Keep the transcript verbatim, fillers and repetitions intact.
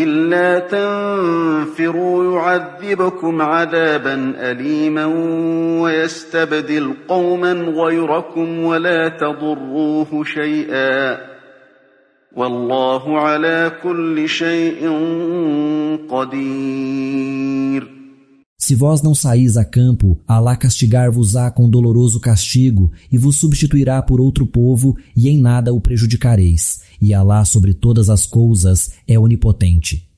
إلا تنفروا يعذبكم عذابا أليما ويستبدل قوما غيركم ولا تضروه شيئا والله على كل شيء قدير. Se vós não saís a campo, Alá castigar-vos-á com doloroso castigo e vos substituirá por outro povo e em nada o prejudicareis. E Alá sobre todas as coisas é onipotente.